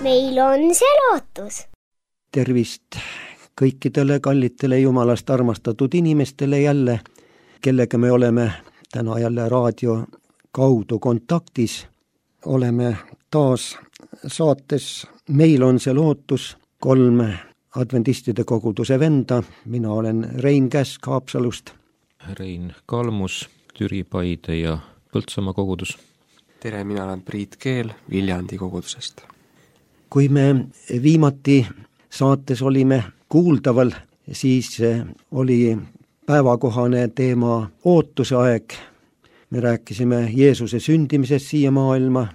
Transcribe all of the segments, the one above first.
meil on see lootus. Tervist kõikidele kallitele Jumalast armastatud inimestele jälle, kellega me oleme täna jälle raadio kaudu kontaktis. Oleme taas saates Meil on see lootus, 3 adventistide koguduse venda. Mina olen Rein Käsk Haapsalust. Rein Kalmus, Türi, Paide ja Põltsamaa kogudus. Tere, mina olen Priit Keel Viljandi kogudusest. Kui me viimati saates olime kuuldaval, siis oli päevakohane teema ootuse aeg. Me rääkisime Jeesuse sündimisest siia maailma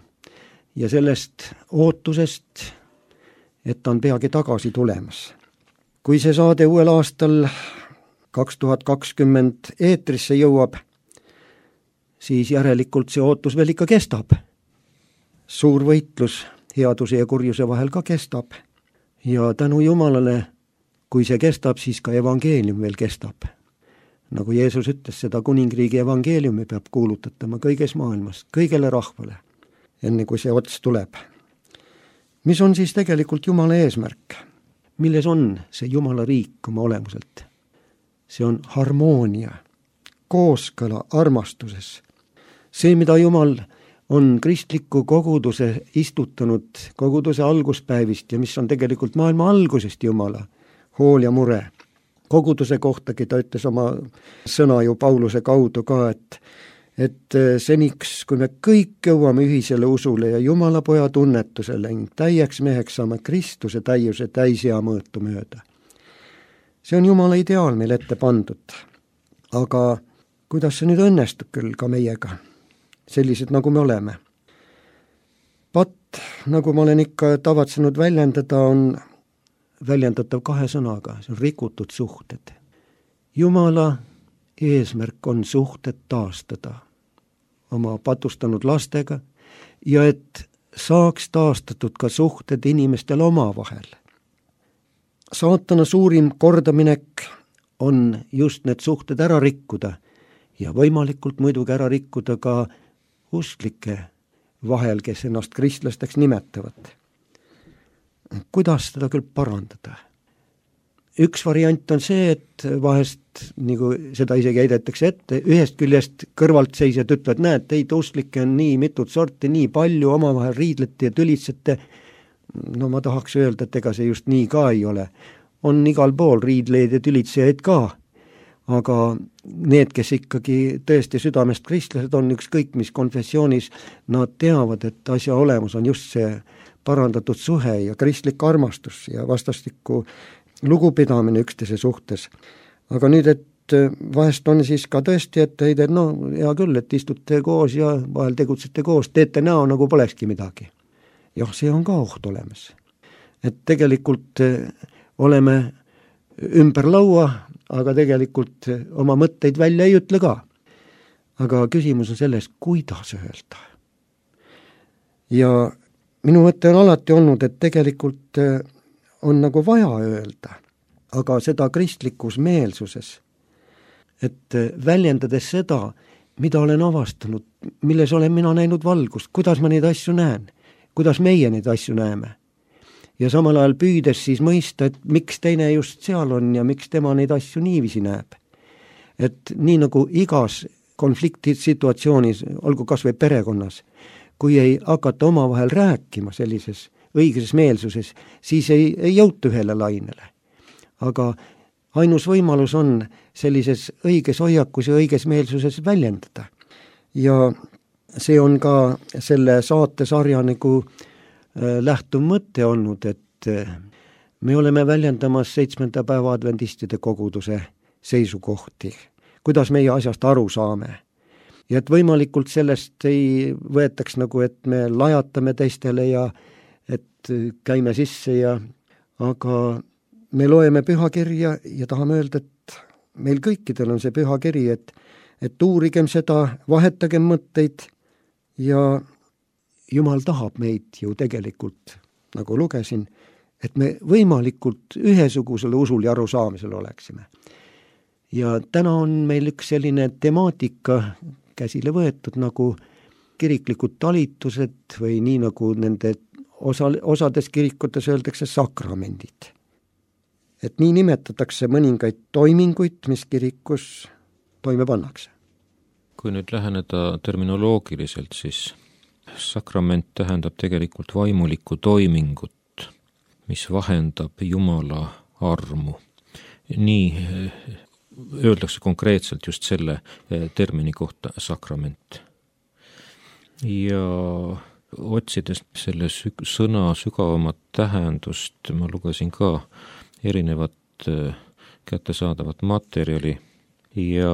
ja sellest ootusest, et ta on peagi tagasi tulemas. Kui see saade uuel aastal 2020 eetrisse jõuab, siis järelikult see ootus veel ikka kestab. Suur võitlus headuse ja kurjuse vahel ka kestab. Ja tänu Jumalale, kui see kestab, siis ka evangeelium veel kestab. Nagu Jeesus ütles, seda kuningriigi evangeeliumi peab kuulutatama kõiges maailmas, kõigele rahvale, enne kui see ots tuleb. Mis on siis tegelikult Jumala eesmärk? Milles on see Jumala riik oma olemuselt? See on harmoonia, kooskõla armastuses. See, mida Jumal on kristliku koguduse istutanud koguduse alguspäevist ja mis on tegelikult maailma algusest Jumala hool ja mure. Koguduse kohtagi ta ütles oma sõna ju Pauluse kaudu ka, et seniks, kui me kõik jõuame ühisele usule ja Jumala poja tunnetusele ning täieks meheks saame Kristuse täiuse täisea mõõtu mööda. See on Jumala ideaal meil ette pandud. Aga kuidas see nüüd õnnestub küll ka meiega? Sellised, nagu me oleme. Pat, nagu ma olen ikka tavatsenud väljendada, on väljendatav 2 sõnaga. See on rikutud suhted. Jumala eesmärk on suhted taastada oma patustanud lastega ja et saaks taastatud ka suhted inimestel omavahel. Saatana suurim kordaminek on just need suhted ära rikkuda ja võimalikult muidugi ära rikkuda ka usklike vahel, kes ennast kristlasteks nimetavad. Kuidas seda küll parandada? Üks variant on see, et vahest, nagu seda isegi heidetakse ette, ühest küljest kõrvalt seisjad ütlevad, näed, teid usklike on nii mitut sorti, nii palju, omavahel riidlete ja tülitsete. No ma tahaks öelda, et ega see just nii ka ei ole. On igal pool riidleid ja tülitsejaid ka. Aga need, kes ikkagi tõesti südamest kristlased on, ükskõik mis konfessioonis, nad teavad, et asja olemus on just see parandatud suhe ja kristlik armastus ja vastastikku lugupidamine üksteise suhtes. Aga nüüd, et vahest on siis ka tõesti, et heide, no hea küll, et istute koos ja vahel tegutsete koos, teete näo nagu polekski midagi. Jah, see on ka oht olemas. Et tegelikult oleme ümber laua, aga tegelikult oma mõtteid välja ei ütle ka. Aga küsimus on selles, kuidas öelda. Ja minu mõte on alati olnud, et tegelikult on nagu vaja öelda, aga seda kristlikus meelsuses, et väljendades seda, mida olen avastanud, milles olen mina näinud valgust, kuidas ma neid asju näen, kuidas meie neid asju näeme. Ja samal ajal püüdes siis mõista, et miks teine just seal on ja miks tema neid asju niiviisi näeb. Et nii nagu igas konfliktisituatsioonis, olgu kas või perekonnas, kui ei hakata omavahel rääkima sellises õiges meelsuses, siis ei jõuta ühele lainele. Aga ainus võimalus on sellises õiges hoiakus ja õiges meelsuses väljendada. Ja see on ka selle saatesarja nagu lähtuv mõte olnud, et me oleme väljendamas 7. päeva adventistide koguduse seisukohti, kuidas meie asjast aru saame. Ja et võimalikult sellest ei võetaks nagu, et me lajatame teistele ja et käime sisse aga me loeme pühakirja ja tahame öelda, et meil kõikidel on see pühakiri, et uurigem seda, vahetagem mõtteid ja Jumal tahab meid ju tegelikult, nagu lugesin, et me võimalikult ühesugusele usul ja arusaamisel oleksime. Ja täna on meil üks selline temaatika käsile võetud nagu kiriklikud talitused või nii nagu nende osades kirikutes öeldakse sakramendid. Et nii nimetatakse mõningaid toiminguid, mis kirikus toime pannakse. Kui nüüd läheneda terminoloogiliselt, siis sakrament tähendab tegelikult vaimulikku toimingut, mis vahendab Jumala armu. Nii öeldakse konkreetselt just selle termini kohta sakrament. Ja otsides selle sõna sügavamat tähendust, ma lugesin ka erinevat kättesaadavat materjali ja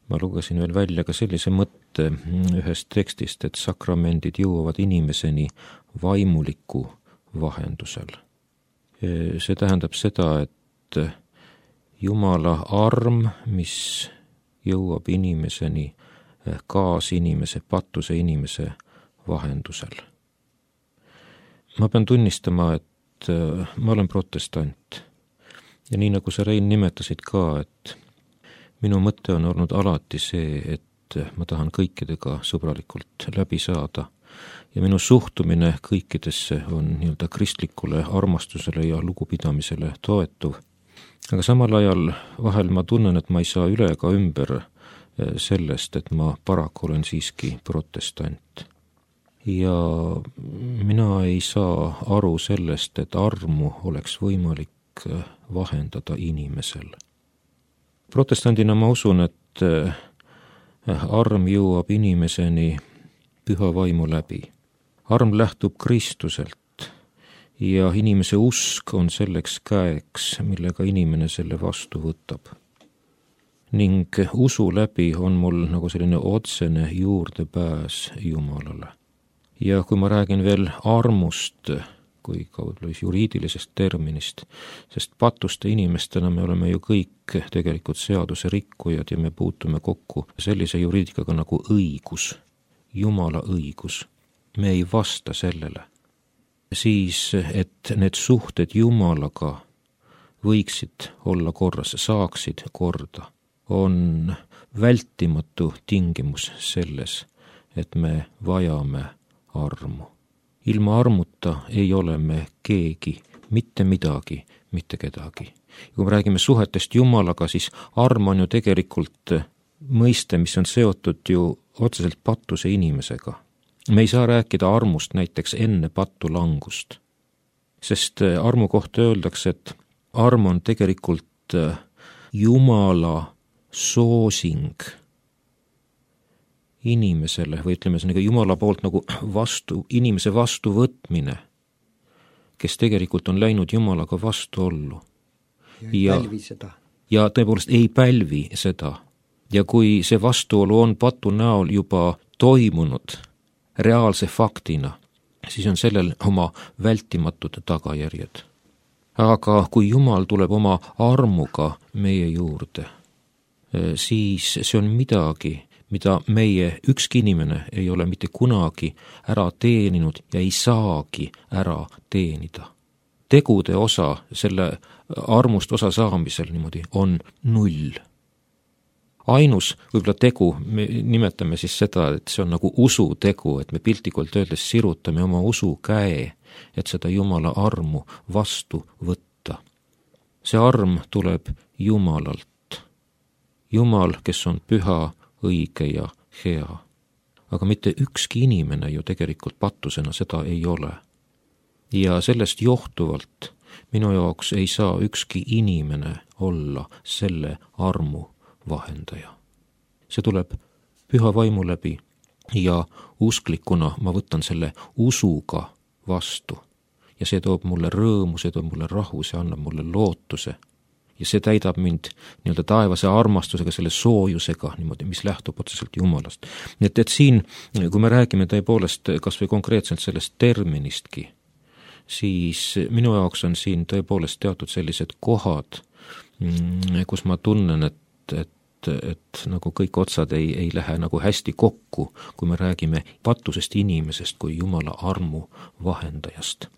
ma lugesin veel välja ka sellise mõtte ühest tekstist, et sakramendid jõuavad inimeseni vaimuliku vahendusel. See tähendab seda, et Jumala arm, mis jõuab inimeseni kaasinimese, patuse inimese vahendusel. Ma pean tunnistama, et ma olen protestant ja nii nagu sa, Rein, nimetasid ka, et minu mõte on olnud alati see, et ma tahan kõikidega sõbralikult läbi saada ja minu suhtumine kõikidesse on nii-öelda kristlikule armastusele ja lugupidamisele toetuv. Aga samal ajal vahel ma tunnen, et ma ei saa üle ega ümber sellest, et ma paraku olen siiski protestant. Ja mina ei saa aru sellest, et armu oleks võimalik vahendada inimesel. Protestandina ma usun, et arm jõuab inimeseni püha vaimu läbi. Arm lähtub Kristuselt ja inimese usk on selleks käeks, millega inimene selle vastu võtab. Ning usu läbi on mul nagu selline otsene juurdepääs Jumalale. Ja kui ma räägin veel armust, kui ka juriidilisest terminist, sest patuste inimestena me oleme ju kõik tegelikult seaduse rikkujad ja me puutume kokku sellise juriidikaga nagu õigus, Jumala õigus. Me ei vasta sellele. Siis, et need suhted Jumalaga võiksid olla korras, saaksid korda, on vältimatu tingimus selles, et me vajame armu. Ilma armuta ei ole me keegi, mitte midagi, mitte kedagi. Kui me räägime suhetest Jumalaga, siis arm on ju tegelikult mõiste, mis on seotud ju otseselt patuse inimesega. Me ei saa rääkida armust näiteks enne pattu langust, sest armu kohta öeldakse, et arm on tegelikult Jumala soosing inimesele või ütleme see Jumala poolt nagu inimese vastuvõtmine, kes tegelikult on läinud Jumalaga vastuollu. Ja tõepoolest ei pälvi seda. Ja kui see vastuolu on patu näol juba toimunud reaalse faktina, siis on sellel oma vältimatud tagajärjed. Aga kui Jumal tuleb oma armuga meie juurde, siis see on midagi, mida meie ükski inimene ei ole mitte kunagi ära teeninud ja ei saagi ära teenida. Tegude osa, selle armust osa saamisel niimoodi on 0. Ainus võib-olla tegu, me nimetame siis seda, et see on nagu usutegu, et me piltlikult öeldes sirutame oma usu käe, et seda Jumala armu vastu võtta. See arm tuleb Jumalalt. Jumal, kes on püha, õige ja hea. Aga mitte ükski inimene ju tegelikult patusena seda ei ole. Ja sellest johtuvalt minu jaoks ei saa ükski inimene olla selle armu vahendaja. See tuleb püha vaimu läbi ja usklikuna ma võtan selle usuga vastu. Ja see toob mulle rõõmu, see toob mulle rahu, see annab mulle lootuse. Ja see täidab mind nii-öelda taevase armastusega, selle soojusega, niimoodi, mis lähtub otseselt Jumalast. Nii et siin, kui me räägime tõepoolest kas või konkreetselt sellest terministki, siis minu jaoks on siin tõepoolest teatud sellised kohad, kus ma tunnen, et nagu kõik otsad ei lähe nagu hästi kokku, kui me räägime patusest inimesest kui Jumala armu vahendajast.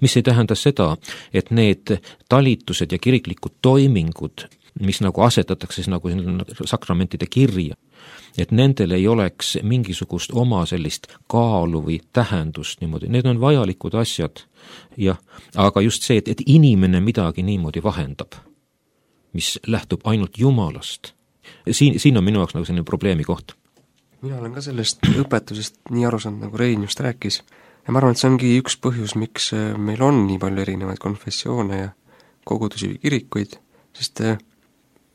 Mis ei tähenda seda, et need talitused ja kiriklikud toimingud, mis nagu asetatakse nagu sakramentide kirja, et nendel ei oleks mingisugust oma sellist kaalu või tähendust niimoodi, need on vajalikud asjad, jah, aga just see, et inimene midagi niimoodi vahendab, mis lähtub ainult Jumalast, siin on minu jaoks nagu selline probleemi koht. Mina olen ka sellest õpetusest nii aru saanud, nagu Rein just rääkis, ja ma arvan, et see ongi üks põhjus, miks meil on nii palju erinevaid konfessioone ja kogudusi või kirikuid, sest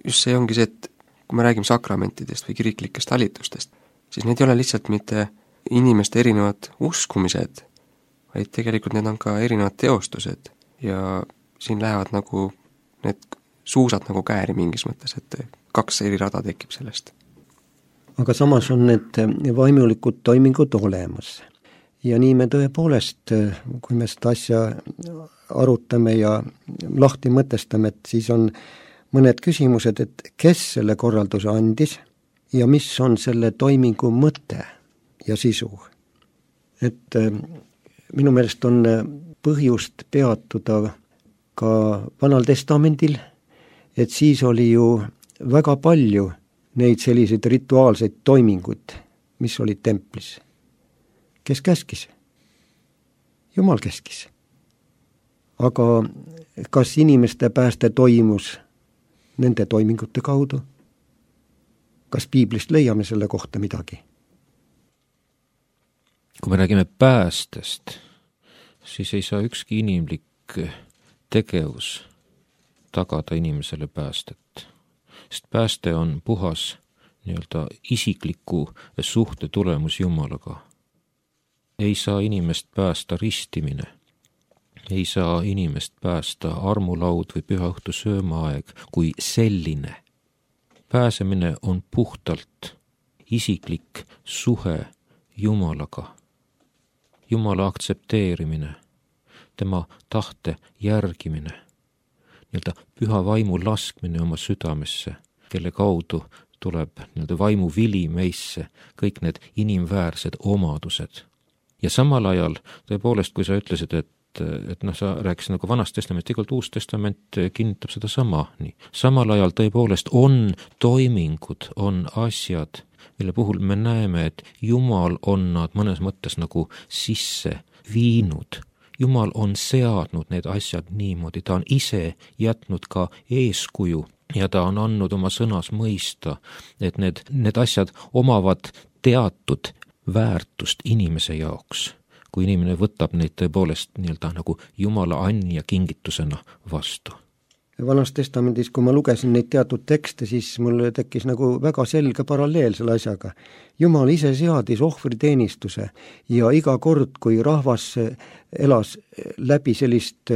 just see ongi see, et kui me räägime sakramentidest või kiriklikest talitustest, siis need ei ole lihtsalt mitte inimeste erinevad uskumised, vaid tegelikult need on ka erinevad teostused ja siin lähevad nagu need suusad nagu kääri mingis mõttes, et 2 eri rada tekib sellest. Aga samas on need vaimulikud toimingud olemas. Ja nii me tõepoolest, kui me seda asja arutame ja lahti mõtestame, et siis on mõned küsimused, et kes selle korralduse andis ja mis on selle toimingu mõte ja sisu. Et minu meelest on põhjust peatuda ka Vanal Testamendil, et siis oli ju väga palju neid selliseid rituaalseid toiminguid, mis olid templis. Kes käskis? Jumal käskis. Aga kas inimeste pääste toimus nende toimingute kaudu? Kas piiblist leiame selle kohta midagi? Kui me räägime päästest, siis ei saa ükski inimlik tegevus tagada inimesele päästet. Sest pääste on puhas nii-öelda isikliku suhte tulemus Jumalaga. Ei saa inimest päästa ristimine. Ei saa inimest päästa armulaud või pühaõhtu söömaaeg kui selline. Pääsemine on puhtalt isiklik suhe Jumalaga. Jumala aktsepteerimine, tema tahte järgimine, nii-öelda püha vaimu laskmine oma südamesse, kelle kaudu tuleb nii-öelda vaimu vili meisse, kõik need inimväärsed omadused. Ja samal ajal, tõepoolest, kui sa ütlesid, et sa rääkisid nagu Vanast Testamenti, tegelikult Uus Testament kinnitab seda sama. Nii. Samal ajal tõepoolest on toimingud, on asjad, mille puhul me näeme, et Jumal on nad mõnes mõttes nagu sisse viinud. Jumal on seadnud need asjad niimoodi, ta on ise jätnud ka eeskuju ja ta on andnud oma sõnas mõista, et need asjad omavad teatud väärtust inimese jaoks, kui inimene võtab neid tõepoolest nii-öelda nagu Jumala anni ja kingitusena vastu. Vanas Testamendis, kui ma lugesin neid teatud tekste, siis mul tekkis nagu väga selge paralleel selle asjaga. Jumal ise seadis ohvriteenistuse ja iga kord, kui rahvas elas läbi sellist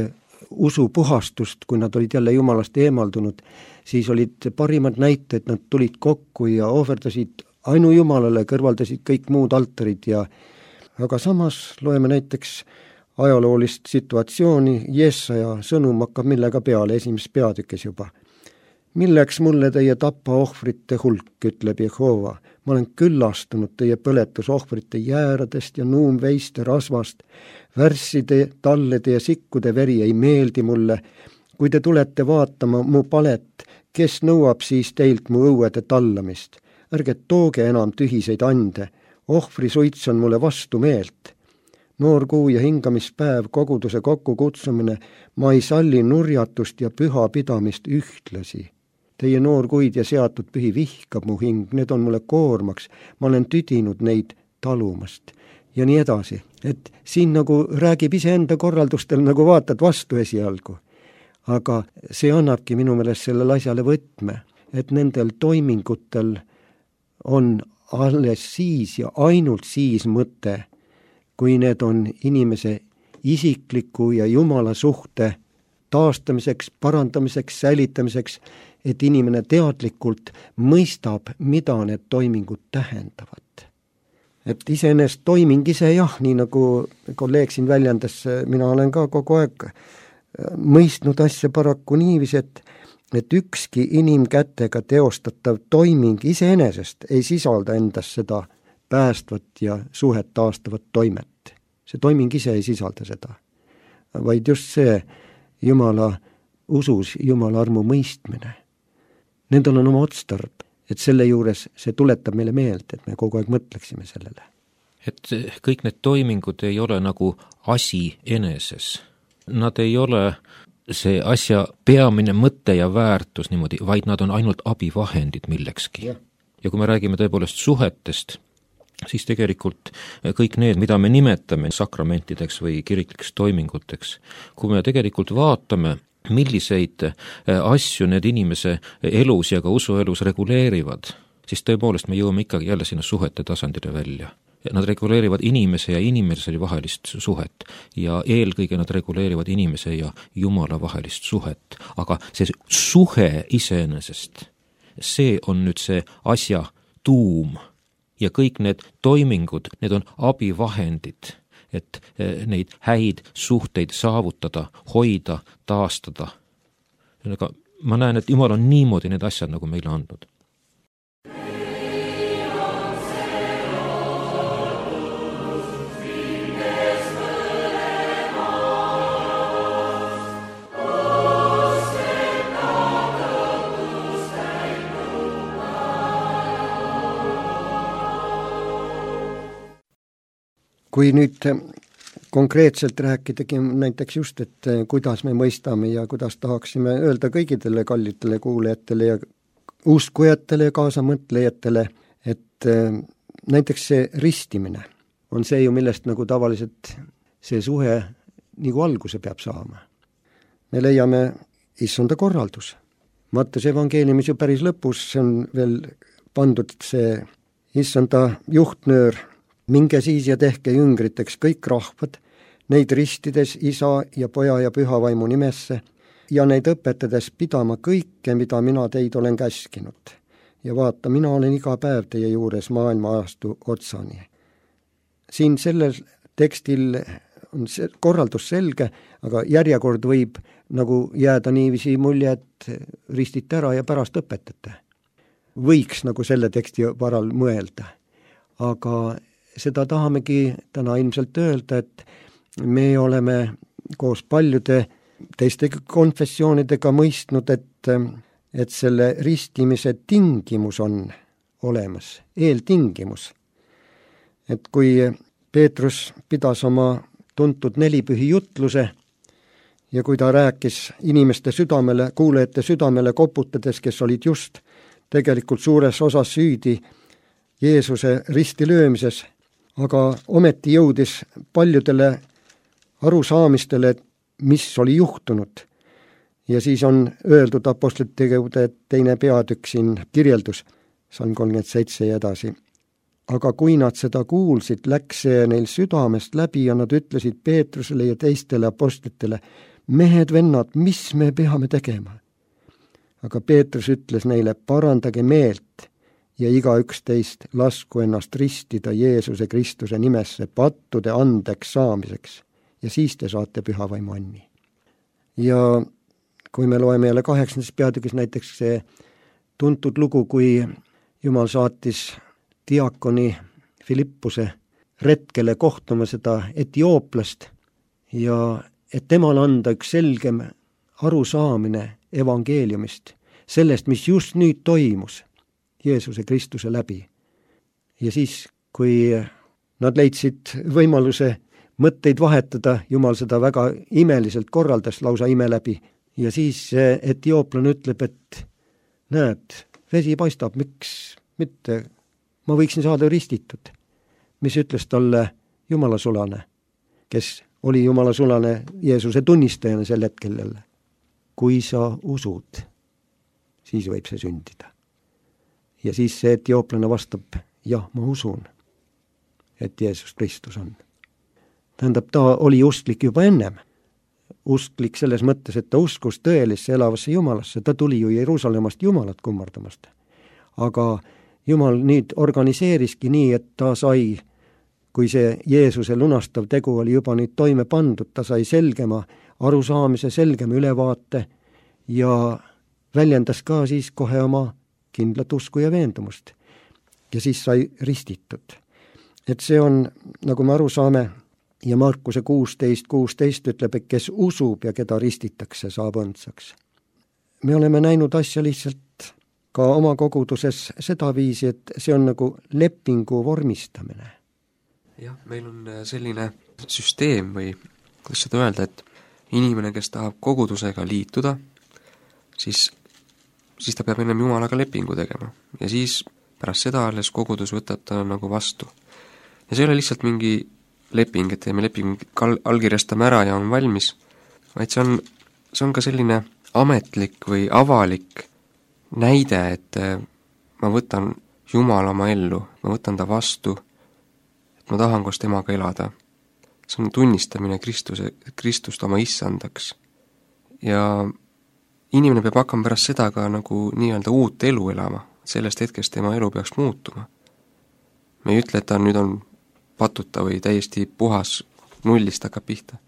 usupuhastust, kui nad olid jälle Jumalast eemaldunud, siis olid parimad näited, nad tulid kokku ja ohverdasid ainu Jumalale, kõrvaldasid kõik muud altarid aga samas loeme näiteks ajaloolist situatsiooni, Jesaja sõnum hakkab millega peale, esimeses peatükis juba. Milleks mulle teie tapaohvrite hulk, ütleb Jehova. Ma olen küllastunud teie põletusohvrite jääradest ja nuumveiste rasvast. Värsside, tallede ja sikkude veri ei meeldi mulle. Kui te tulete vaatama mu palet, kes nõuab siis teilt mu õuede tallamist? Ärge tooge enam tühiseid ande. Ohvri suits on mulle vastu meelt. Noorkuu ja hingamispäev, koguduse kokkukutsumine, ma ei salli nurjatust ja püha pidamist ühtlasi. Teie noorkuid ja seatud pühi vihkab mu hing, need on mulle koormaks, ma olen tüdinud neid talumast. Ja nii edasi, et siin nagu räägib iseenda korraldustel, nagu vaatad vastu esialgu. Aga see annabki minu meelest sellele asjale võtme, et nendel toimingutel on alles siis ja ainult siis mõte, kui need on inimese isikliku ja Jumala suhte taastamiseks, parandamiseks, säilitamiseks, et inimene teadlikult mõistab, mida need toimingud tähendavad. Et iseenesest toiming ise jah, nii nagu kolleeg siin väljendas, mina olen ka kogu aeg mõistnud asja paraku niivis, et ükski inimkätega teostatav toiming iseenesest ei sisalda endas seda päästvat ja suhet taastavat toimet. See toiming ise ei sisalda seda, vaid just see Jumala usus, Jumala armu mõistmine. Nendel on oma otstarb et selle juures see tuletab meile meelde, et me kogu aeg mõtleksime sellele. Et kõik need toimingud ei ole nagu asi eneses. Nad ei ole see asja peamine mõte ja väärtus niimoodi, vaid nad on ainult abivahendid millekski. Ja kui me räägime tõepoolest suhetest, siis tegelikult kõik need, mida me nimetame sakramentideks või kiriklikeks toiminguteks, kui me tegelikult vaatame, milliseid asju need inimese elus ja ka usuelus reguleerivad, siis tõepoolest me jõuame ikkagi jälle sinna suhete tasandile välja. Nad reguleerivad inimese ja inimese vahelist suhet ja eelkõige nad reguleerivad inimese ja Jumala vahelist suhet. Aga see suhe iseenesest, see on nüüd see asja tuum ja kõik need toimingud, need on abivahendid, et neid häid suhteid saavutada, hoida, taastada. Aga ma näen, et Jumal on niimoodi need asjad nagu meile andnud. Kui nüüd konkreetselt rääkidagi näiteks just, et kuidas me mõistame ja kuidas tahaksime öelda kõigidele kallitele kuulajatele ja uskujatele ja kaasamõtlejatele, et näiteks see ristimine on see ju, millest nagu tavaliselt see suhe nagu alguse peab saama. Me leiame issanda korraldus. Mattuse evangeeliumis ju päris lõpus on veel pandud see issanda juhtnöör, minge siis ja tehke jüngriteks kõik rahvad, neid ristides isa ja poja ja püha vaimu nimesse ja neid õpetades pidama kõike, mida mina teid olen käskinud. Ja vaata, mina olen iga päev teie juures maailma ajastu otsani. Siin sellel tekstil on see korraldus selge, aga järjekord võib nagu jääda niiviisi mulje, et ristite ära ja pärast õpetate. Võiks nagu selle teksti varal mõelda. Aga seda tahamegi täna ilmselt öelda, et me oleme koos paljude teiste konfessioonidega mõistnud, et selle ristimise tingimus on olemas, eeltingimus. Et kui Peetrus pidas oma tuntud nelipühi jutluse ja kui ta rääkis inimeste südamele, kuulajate südamele koputades, kes olid just tegelikult suures osas süüdi Jeesuse risti löömises, aga ometi jõudis paljudele arusaamistele, mis oli juhtunud. Ja siis on öeldud apostlite tegevude 2. peatükk siin kirjeldus, Salm 37 ja edasi. Aga kui nad seda kuulsid, läks see neil südamest läbi ja nad ütlesid Peetrusele ja teistele apostlitele, mehed, vennad, mis me peame tegema? Aga Peetrus ütles neile, parandage meelt ja igaüks teist lasku ennast ristida Jeesuse Kristuse nimesse pattude andeks saamiseks ja siis te saate püha vaimu anni. Ja kui me loeme jälle 8. peatükis näiteks see tuntud lugu, kui Jumal saatis diakoni Filippuse retkele kohtuma seda etiooplast ja et temal anda üks selgem arusaamine evangeeliumist, sellest, mis just nüüd toimus Jeesuse Kristuse läbi. Ja siis, kui nad leidsid võimaluse mõtteid vahetada, Jumal seda väga imeliselt korraldas, lausa ime läbi. Ja siis etiooplane ütleb, et näed, vesi paistab, miks mitte, ma võiksin saada ristitud. Mis ütles talle Jumala sulane, kes oli Jumala sulane Jeesuse tunnistajana sel hetkel jälle. Kui sa usud, siis võib see sündida. Ja siis see etiooplane vastab, jah, ma usun, et Jeesus Kristus on. Tähendab, ta oli usklik juba ennem. Usklik selles mõttes, et ta uskus tõelisse elavasse Jumalasse. Ta tuli ju Jeruusalemmast Jumalat kummardamast. Aga Jumal nüüd organiseeriski nii, et ta sai, kui see Jeesuse lunastav tegu oli juba nüüd toime pandud, ta sai selgema arusaamise, selgema ülevaate ja väljendas ka siis kohe oma kindlat usku ja veendumust. Ja siis sai ristitud. Et see on, nagu me aru saame, ja Markuse 16 ütleb, et kes usub ja keda ristitakse, saab õndsaks. Me oleme näinud asja lihtsalt ka oma koguduses sedaviisi, et see on nagu lepingu vormistamine. Jah, meil on selline süsteem või kuidas seda öelda, et inimene, kes tahab kogudusega liituda, siis ta peab ennem Jumalaga lepingu tegema ja siis pärast seda alles kogudus võtab ta nagu vastu. Ja see ei ole lihtsalt mingi leping, et teeme lepingu, allkirjastame ära ja on valmis, vaid see on ka selline ametlik või avalik näide, et ma võtan Jumala oma ellu, ma võtan ta vastu, et ma tahan koos temaga elada. See on tunnistamine Kristust oma issandaks. Ja inimene peab hakkama pärast seda ka nagu nii-öelda uut elu elama, sellest hetkest tema elu peaks muutuma. Me ei ütle, et ta nüüd on patuta või täiesti puhas, nullist hakkab pihta.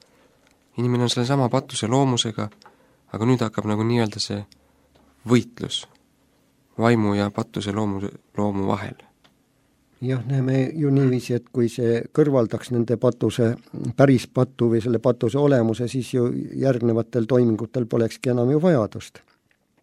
Inimene on selle sama patuse loomusega, aga nüüd hakkab nagu nii-öelda see võitlus vaimu ja patuse loomu vahel. Jah, näeme ju niiviisi, et kui see kõrvaldaks nende päris patu või selle patuse olemuse, siis ju järgnevatel toimingutel polekski enam ju vajadust.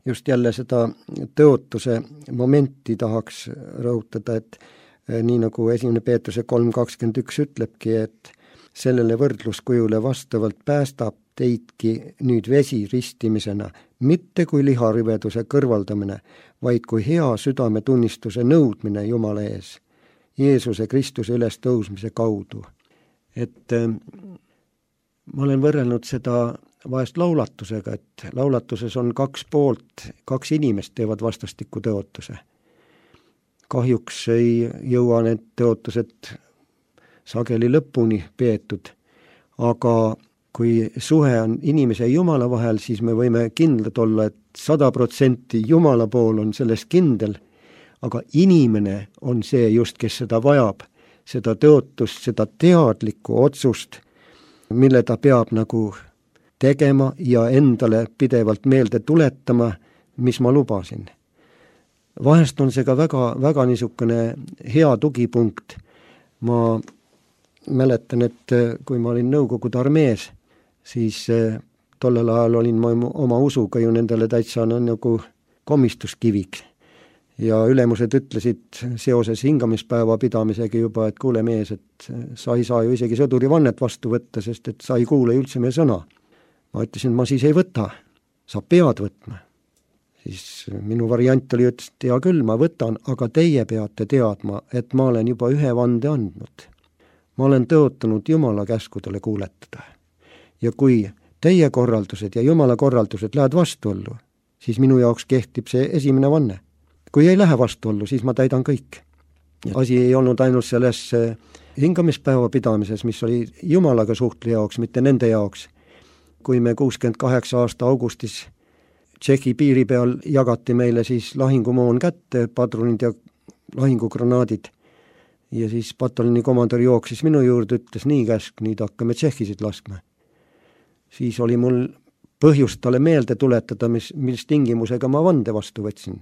Just jälle seda tõotuse momenti tahaks rõhutada, et nii nagu 1. Peetruse 3.21 ütlebki, et sellele võrdluskujule vastavalt päästab teidki nüüd vesi ristimisena, mitte kui liharüveduse kõrvaldamine, vaid kui hea südametunnistuse nõudmine Jumala ees, Jeesuse Kristuse üles tõusmise kaudu. Et ma olen võrrelnud seda vahest laulatusega, et laulatuses on 2 poolt, 2 inimest teevad vastastikku tõotuse. Kahjuks ei jõua need tõotused sageli lõpuni peetud, aga kui suhe on inimese ja Jumala vahel, siis me võime kindlad olla, et 100% Jumala pool on selles kindel, aga inimene on see just, kes seda vajab, seda tõotust, seda teadlikku otsust, mille ta peab nagu tegema ja endale pidevalt meelde tuletama, mis ma lubasin. Vahest on see ka väga niisugune hea tugipunkt. Ma mäletan, et kui ma olin Nõukogude armees, siis tollel ajal olin ma oma usuga ju nendele täitsa nagu komistuskiviks. Ja ülemused ütlesid seoses hingamispäeva pidamisega juba, et kuule mees, et sa ei saa ju isegi sõdurivannet vastu võtta, sest et sa ei kuule üldse meie sõna. Ma ütlesin, ma siis ei võta, sa pead võtma. Siis minu variant oli, ütles, et hea küll, ma võtan, aga teie peate teadma, et ma olen juba 1 vande andnud. Ma olen tõotanud Jumala käskudele kuuletada. Ja kui teie korraldused ja Jumala korraldused lähevad vastuollu, siis minu jaoks kehtib see esimene vanne. Kui ei lähe vastuollu, siis ma täidan kõik. Asi ei olnud ainult selles hingamispäeva pidamises, mis oli Jumalaga suhtli jaoks, mitte nende jaoks. Kui me 68 aasta augustis Tšehhi piiri peal jagati meile siis lahingumoon kätte, padrunid ja lahingugranaadid. Ja siis pataljoni komandör jooksis minu juurde, ütles nii käsk, nüüd hakkame tšehhisid laskma. Siis oli mul põhjust talle meelde tuletada, mis tingimusega ma vande vastu võtsin.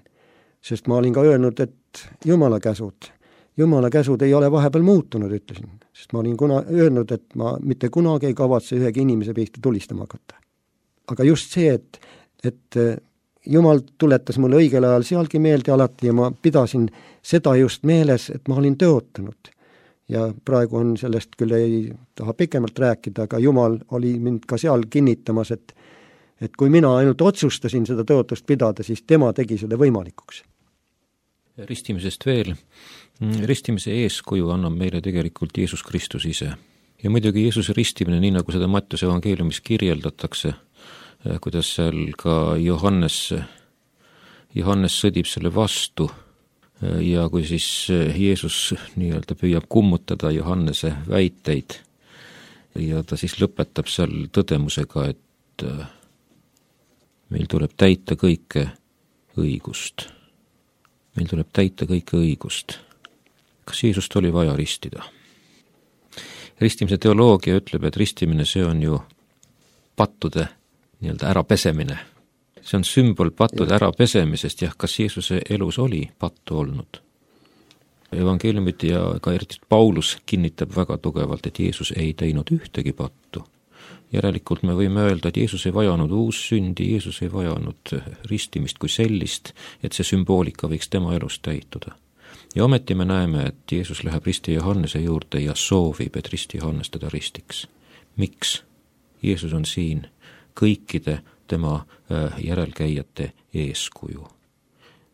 Sest ma olin ka öelnud, et Jumala käsud ei ole vahepeal muutunud, ütlesin. Sest ma olin öelnud, et ma mitte kunagi ei kavatse ühegi inimese pihta tulistama hakata. Aga just see, et Jumal tuletas mulle õigel ajal sealgi meelde alati ja ma pidasin seda just meeles, et ma olin tõotanud. Ja praegu on sellest küll ei taha pikemalt rääkida, aga Jumal oli mind ka seal kinnitamas, et kui mina ainult otsustasin seda tõotust pidada, siis tema tegi selle võimalikuks. Ristimisest veel. Ristimise eeskuju annab meile tegelikult Jeesus Kristus ise. Ja muidugi Jeesuse ristimine, nii nagu seda Mattiuse evangeeliumis kirjeldatakse, kuidas seal ka Johannes sõdib selle vastu ja kui siis Jeesus nii-öelda püüab kummutada Johannese väiteid ja ta siis lõpetab seal tõdemusega, et meil tuleb täita kõike õigust. Meil tuleb täita kõike õigust. Kas Jeesust oli vaja ristida? Ristimise teoloogia ütleb, et ristimine see on ju pattude nii-öelda ärapesemine. See on sümbol pattude ärapesemisest, jah, kas Jeesuse elus oli pattu olnud? Evangeeliumid ja ka eriti Paulus kinnitab väga tugevalt, et Jeesus ei teinud ühtegi pattu. järelikult me võime öelda, et Jeesus ei vajanud uussündi, Jeesus ei vajanud ristimist kui sellist, et see sümboolika võiks tema elus täituda. Ja ometi me näeme, et Jeesus läheb risti Johannese juurde ja soovib, et risti Johannes teda ristiks. Miks? Jeesus on siin kõikide tema järelkäijate eeskuju.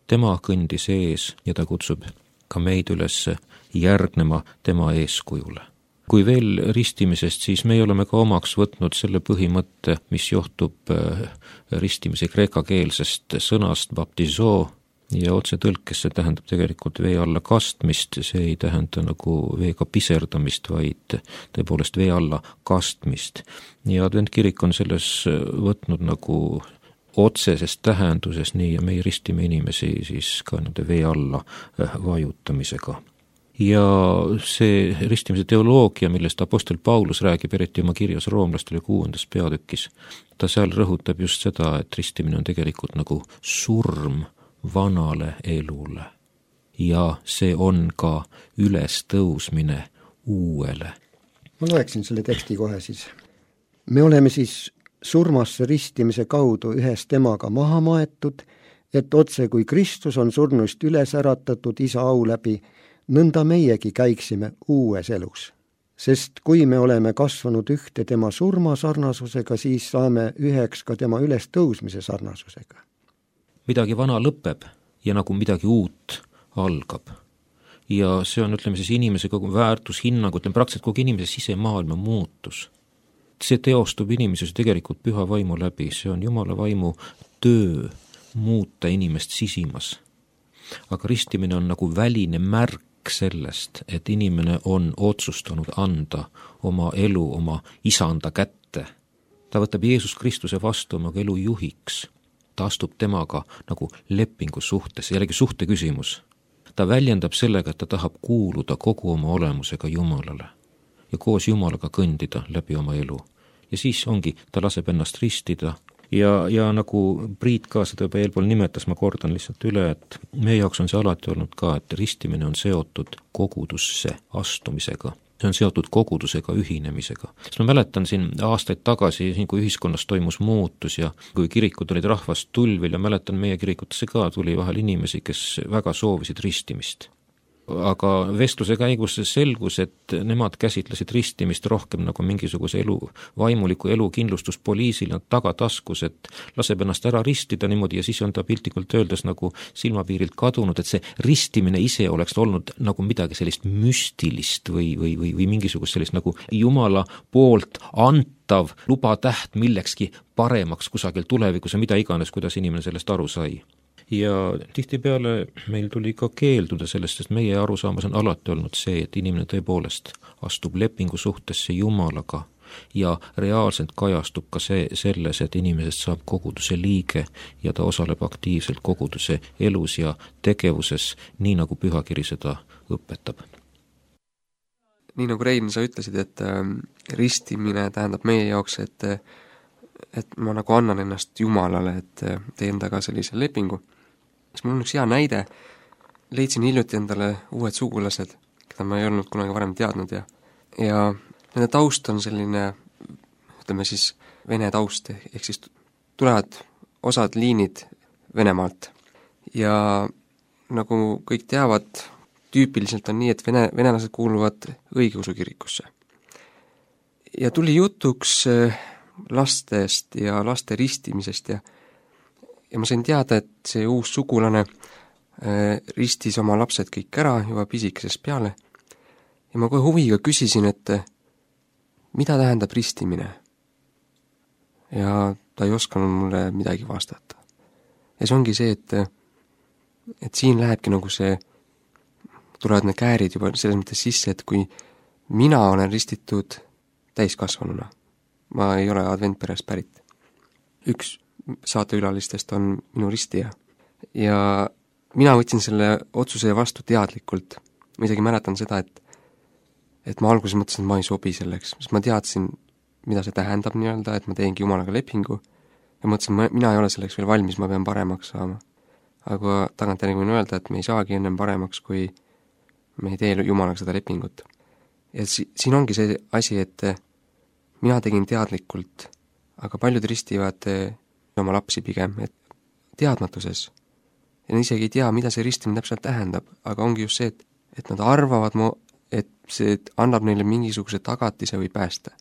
Tema kõndis ees ja ta kutsub ka meid üles järgnema tema eeskujule. Kui veel ristimisest, siis me oleme ka omaks võtnud selle põhimõtte, mis johtub ristimise kreekakeelsest sõnast baptizo ja otsetõlkes see tähendab tegelikult vee alla kastmist, see ei tähenda nagu veega piserdamist, vaid tõepoolest vee alla kastmist. Ja adventkirik on selles võtnud nagu otseses tähenduses nii ja meie ristime inimesi siis ka nende vee alla vajutamisega. Ja see ristimise teoloogia, millest apostel Paulus räägib, eriti oma kirjas roomlastele 6. peatükis, ta seal rõhutab just seda, et ristimine on tegelikult nagu surm vanale elule. Ja see on ka ülestõusmine uuele. Ma loeksin selle teksti kohe siis. Me oleme siis surmasse ristimise kaudu ühes temaga maha maetud, et otse kui Kristus on surnuist üles äratatud isa au läbi, nõnda meiegi käiksime uues elus. Sest kui me oleme kasvanud ühte tema surma sarnasusega, siis saame üheks ka tema ülestõusmise sarnasusega. Midagi vana lõpeb ja nagu midagi uut algab. Ja see on, ütleme siis, inimese kogu väärtushinnang, ütleme praktiliselt kogu inimese sisemaailma muutus. See teostub inimeses tegelikult püha vaimu läbi, see on Jumala vaimu töö muuta inimest sisimas. Aga ristimine on nagu väline märk sellest, et inimene on otsustanud anda oma elu oma isanda kätte. Ta võtab Jeesus Kristuse vastu oma elu juhiks. Ta astub temaga nagu lepingu suhtes, jällegi suhte küsimus. Ta väljendab sellega, et ta tahab kuuluda kogu oma olemusega Jumalale ja koos Jumalaga kõndida läbi oma elu. Ja siis ongi, ta laseb ennast ristida ja nagu Priit ka seda juba eelpool nimetas, ma kordan lihtsalt üle, et meie jaoks on see alati olnud ka, et ristimine on seotud kogudusse astumisega. See on seotud kogudusega ühinemisega. Sest ma mäletan siin aastaid tagasi, kui ühiskonnas toimus muutus ja kui kirikud olid rahvast tulvil ja mäletan meie kirikutesse ka tuli vahel inimesi, kes väga soovisid ristimist. Aga vestluse käigus selgus, et nemad käsitlesid ristimist rohkem nagu mingisuguse vaimuliku elu kindlustuspoliisina tagataskus, et laseb ennast ära ristida niimoodi ja siis on ta piltlikult öeldes nagu silmapiirilt kadunud, et see ristimine ise oleks olnud nagu midagi sellist müstilist või mingisugust sellist nagu Jumala poolt antav lubatäht millekski paremaks kusagil tulevikus ja mida iganes, kuidas inimene sellest aru sai. Ja tihtipeale meil tuli ka keelduda sellest, sest meie arusaamas on alati olnud see, et inimene tõepoolest astub lepingu suhtesse Jumalaga ja reaalselt kajastub ka selles, et inimesest saab koguduse liige ja ta osaleb aktiivselt koguduse elus ja tegevuses, nii nagu pühakiri seda õpetab. Nii nagu Rein, sa ütlesid, et ristimine tähendab meie jaoks, et ma nagu annan ennast Jumalale, et teen taga sellise lepingu. Siis mul on üks hea näide, leidsin hiljuti endale uued sugulased, keda ma ei olnud kunagi varem teadnud ja nende taust on selline, ütleme siis vene taust, ehk siis tulevad osad liinid Venemaalt ja nagu kõik teavad, tüüpiliselt on nii, et venelased kuuluvad õigeusu kirikusse. Ja tuli jutuks lastest ja laste ristimisest ja ma sain teada, et see uus sugulane ristis oma lapsed kõik ära juba pisikesest peale ja ma kohe huviga küsisin, et mida tähendab ristimine? Ja ta ei osanud mulle midagi vastata. Ja see ongi see, et siin lähebki nagu tulevad need käärid juba selles mõttes sisse, et kui mina olen ristitud täiskasvanuna, ma ei ole adventperest pärit. Üks saateülalistest on minu ristija ja mina võtsin selle otsuse vastu teadlikult. Ma isegi mäletan seda, et ma alguses mõtlesin, et ma ei sobi selleks, sest ma teadsin, mida see tähendab nii-öelda, et ma teengi Jumalaga lepingu ja mõtlesin, mina ei ole selleks veel valmis, ma pean paremaks saama. Aga tagantjärgi võin öelda, et me ei saagi ennem paremaks, kui me ei tee Jumalaga seda lepingut. Ja siin ongi see asi, et mina tegin teadlikult, aga paljud ristivad oma lapsi pigem, et teadmatuses. Ja nad isegi ei tea, mida see ristimine täpselt tähendab, aga ongi just see, et nad arvavad, et see annab neile mingisuguse tagatise või pääste.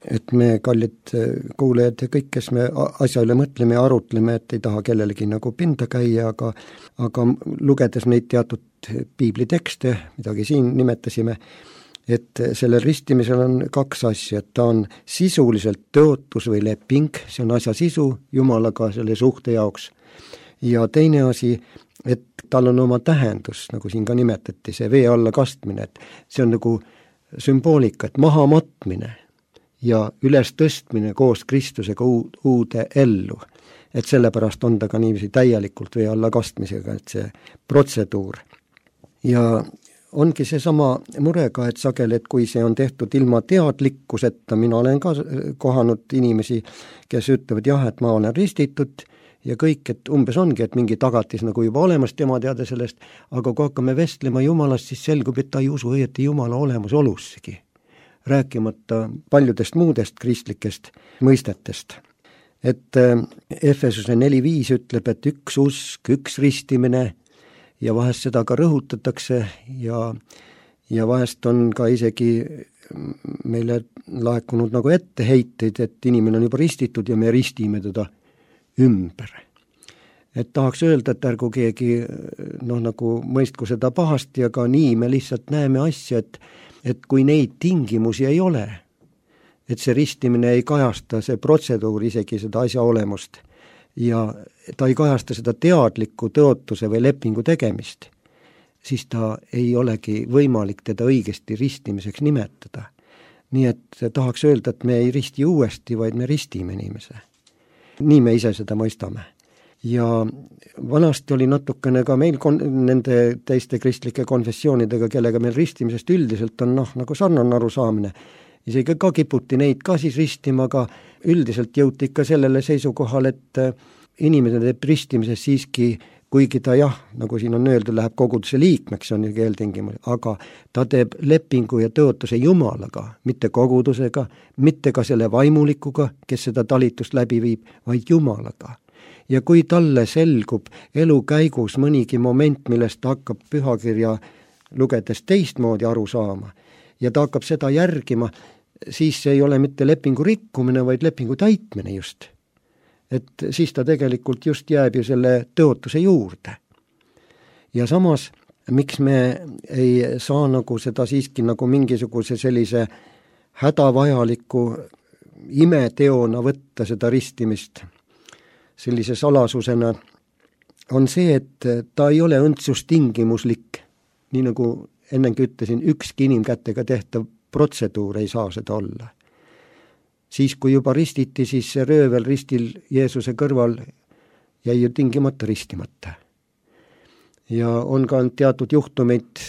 Et me, kallid kuulajad ja kõik, kes me asja üle mõtleme ja arutleme, et ei taha kellelegi nagu pinda käia, aga lugedes neid teatud piiblitekste, midagi siin nimetasime, et sellel ristimisel on kaks asja, et ta on sisuliselt tõotus või leping, see on asja sisu Jumalaga selle suhte jaoks, ja teine asi, et tal on oma tähendus, nagu siin ka nimetati, see vee alla kastmine, et see on nagu sümboolika, et maha matmine ja üles tõstmine koos Kristusega uude ellu. Et sellepärast on ta ka niiviisi täielikult vee alla kastmisega, et see protseduur. Ja ongi see sama murega, et sageli, et kui see on tehtud ilma teadlikkuseta, mina olen ka kohanud inimesi, kes ütlevad jah, et ma olen ristitud ja kõik, et umbes ongi, et mingi tagatis nagu juba olemas tema teada sellest, aga kui hakkame vestlema Jumalast, siis selgub, et ta ei usu õieti Jumala olemasolussegi, rääkimata paljudest muudest kristlikest mõistetest. Et Efesuse 4.5 ütleb, et üks usk, üks ristimine ja vahest seda ka rõhutatakse ja vahest on ka isegi meile laekunud nagu etteheiteid, et inimene on juba ristitud ja me ristime teda ümber. Et tahaks öelda, et ärgu keegi nagu mõistku seda pahasti, aga nii me lihtsalt näeme asja, et kui neid tingimusi ei ole, et see ristimine ei kajasta, see protseduur isegi seda asja olemust ja ta ei kajasta seda teadliku tõotuse või lepingu tegemist, siis ta ei olegi võimalik teda õigesti ristimiseks nimetada. Nii et tahaks öelda, et me ei risti uuesti, vaid me ristime inimese. Nii me ise seda mõistame. Ja vanasti oli natukene ka meil nende teiste kristlike konfessioonidega, kellega meil ristimisest üldiselt on nagu sarnane arusaamine. Isegi ka kiputi neid ka siis ristima, aga üldiselt jõuti ikka sellele seisukohal, et inimene teeb ristimises siiski, kuigi ta nagu siin on öeldud, läheb koguduse liikmeks, on ju keeltingimus, aga ta teeb lepingu ja tõotuse Jumalaga, mitte kogudusega, mitte ka selle vaimulikuga, kes seda talitust läbi viib, vaid Jumalaga. Ja kui talle selgub elu käigus mõnigi moment, millest ta hakkab pühakirja lugedes teistmoodi aru saama ja ta hakkab seda järgima, siis see ei ole mitte lepingu rikkumine, vaid lepingu täitmine just. Et siis ta tegelikult just jääb ju selle tõotuse juurde. Ja samas, miks me ei saa nagu seda siiski nagu mingisuguse sellise hädavajaliku imeteona võtta seda ristimist sellise salasusena, on see, et ta ei ole õndsustingimuslik, nii nagu ennengi ütlesin, ükski inimkätega tehtav protseduur ei saa seda olla. Siis, kui juba ristiti, siis see röövel ristil Jeesuse kõrval jäi ju tingimata ristimata. Ja on ka teatud juhtumeid,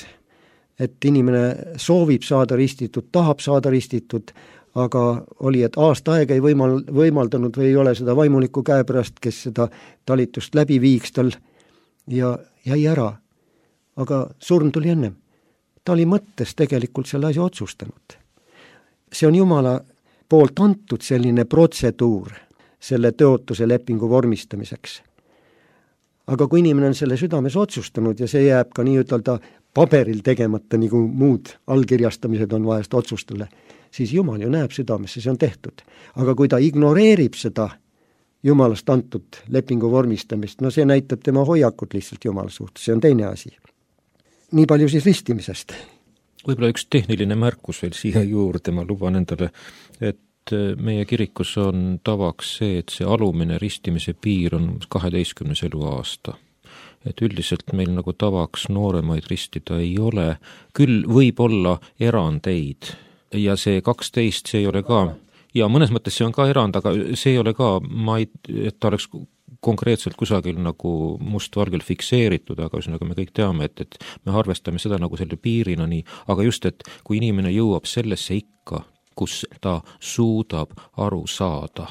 et inimene soovib saada ristitud, tahab saada ristitud, aga oli, et aasta aega ei võimaldanud või ei ole seda vaimuliku käepärast, kes seda talitust läbi viiks tal ja jäi ära. Aga surm tuli ennem. Ta oli mõttes tegelikult selle asja otsustanud. See on Jumala poolt antud selline protseduur selle tõotuse lepingu vormistamiseks. Aga kui inimene on selle südames otsustanud ja see jääb ka nii ütelda paberil tegemata, nagu muud allkirjastamised on vahest otsustele, siis Jumal ju näeb südamesse, see on tehtud. Aga kui ta ignoreerib seda Jumalast antud lepingu vormistamist, see näitab tema hoiakut lihtsalt Jumala suhtes, see on teine asi. Nii palju siis ristimisest. Võib-olla üks tehniline märkus veel siia juurde, ma luban endale, et meie kirikus on tavaks see, et see alumine ristimise piir on 12. eluaasta. Et üldiselt meil nagu tavaks nooremaid ristida ei ole, küll võib olla erandeid ja see 12, see ei ole ka, ja mõnes mõttes see on ka erand, aga see ei ole ka, et ta oleks konkreetselt kusagil nagu mustvalgel fikseeritud, aga ühesõnaga me kõik teame, et me arvestame seda nagu selle piirina nii, aga just, et kui inimene jõuab sellesse ikka, kus ta suudab aru saada,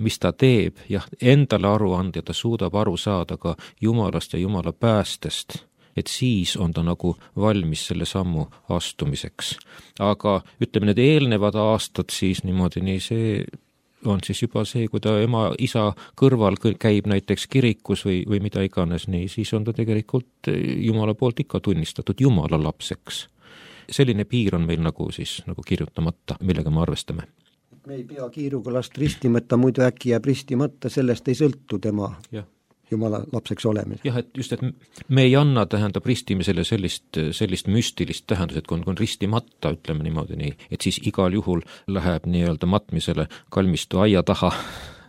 mis ta teeb, endale aru anda ja ta suudab aru saada ka Jumalast ja Jumala päästest et siis on ta nagu valmis selle sammu astumiseks. Aga ütleme, need eelnevad aastad siis niimoodi, nii see on siis juba see, kui ta ema, isa kõrval käib näiteks kirikus või mida iganes, nii siis on ta tegelikult Jumala poolt ikka tunnistatud Jumala lapseks. Selline piir on meil nagu siis nagu kirjutamata, millega me arvestame. Me ei pea kiiruga last ristimata, muidu äkki jääb ristimata, sellest ei sõltu tema Jumala lapseks olemine. Jah, et just, et me ei anna, tähendab, ristimisele sellist müstilist tähendus, et kui on ristimata, ütleme niimoodi nii, et siis igal juhul läheb nii-öelda matmisele kalmistu aia taha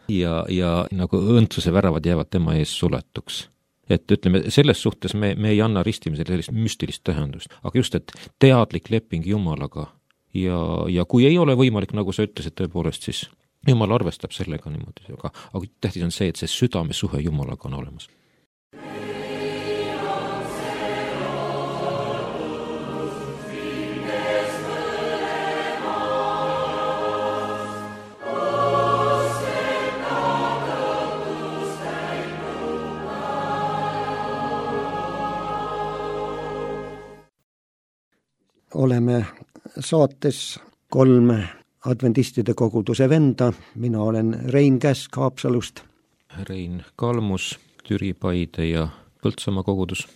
ja nagu õndsuse väravad jäävad tema ees suletuks. Et ütleme, selles suhtes me ei anna ristimisele sellist müstilist tähendust, aga just, et teadlik leping Jumalaga ja kui ei ole võimalik, nagu sa ütlesid, tõepoolest siis Jumal arvestab sellega niimoodi, aga tähtis on see, et see südamesuhe Jumalaga on olemas. Oleme saates 3 adventistide koguduse venda, mina olen Rein Käsk Haapsalust. Rein Kalmus, Türi, Paide ja Põltsamaa kogudus.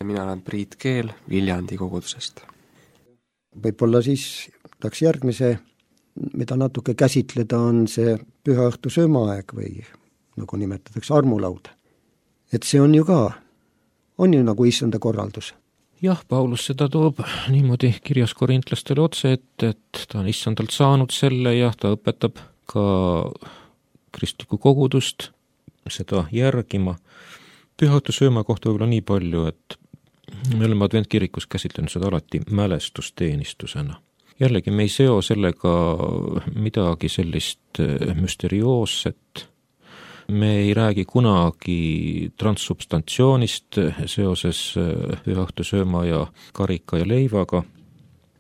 Ja mina olen Priit Keel Viljandi kogudusest. Võib-olla siis tahaks järgmise, mida natuke käsitleda, on see pühaõhtu söömaaeg või nagu nimetatakse armulaud. Et see on ju nagu issanda korraldus. Jah, Paulus seda toob niimoodi kirjas korintlastele otse, et ta on issandalt saanud selle ja ta õpetab ka kristlikku kogudust seda järgima. Pühaõhtu sööma kohta võib-olla nii palju, et me oleme adventkirikus käsitlenud seda alati mälestusteenistusena. Jällegi me ei seo sellega midagi sellist müsterioosset. Me ei räägi kunagi transsubstantsioonist seoses pühaõhtu sööma ja karika ja leivaga.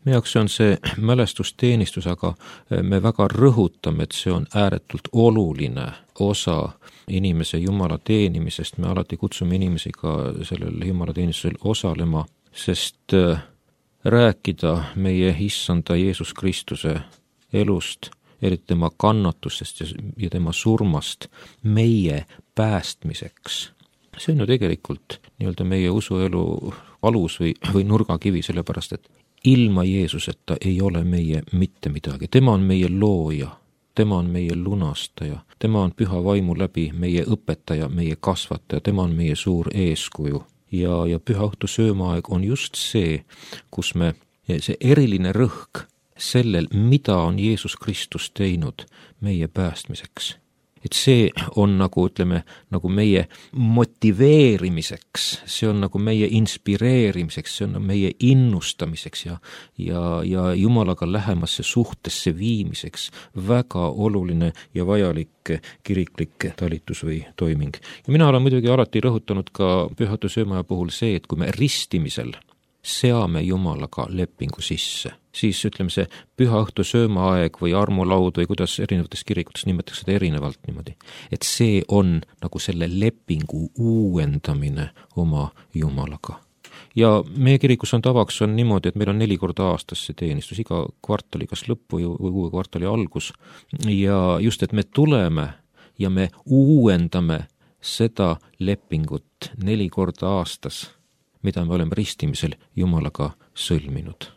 Meie jaoks on see mälestusteenistus, aga me väga rõhutame, et see on ääretult oluline osa inimese Jumala teenimisest. Me alati kutsume inimesi ka sellel Jumala teenistusel osalema, sest rääkida meie issanda Jeesus Kristuse elust, eriti tema kannatustest ja tema surmast meie päästmiseks. See on ju tegelikult nii-öelda meie usuelu alus või nurgakivi, sellepärast et ilma Jeesuseta ei ole meie mitte midagi. Tema on meie looja, tema on meie lunastaja, tema on püha vaimu läbi meie õpetaja, meie kasvataja, tema on meie suur eeskuju. Ja pühaõhtu söömaaeg on just see, kus see eriline rõhk sellel, mida on Jeesus Kristus teinud meie päästmiseks. Et see on nagu, ütleme, nagu meie motiveerimiseks, see on nagu meie inspireerimiseks, see on meie innustamiseks ja Jumalaga lähemasse suhtesse viimiseks väga oluline ja vajalik kiriklik talitus või toiming. Ja mina olen muidugi alati rõhutanud ka pühaõhtu söömaja puhul see, et kui me ristimisel seame Jumalaga lepingu sisse, siis ütleme see pühaõhtu söömaaeg või armulaud või kuidas erinevates kirikutes nimetatakse seda erinevalt niimoodi, et see on nagu selle lepingu uuendamine oma Jumalaga. Ja meie kirikus on tavaks on niimoodi, et meil on 4 korda aastas see teenistus, iga kvartali kas lõppu või uue kvartali algus ja just, et me tuleme ja me uuendame seda lepingut 4 korda aastas, mida me oleme ristimisel Jumalaga sõlminud.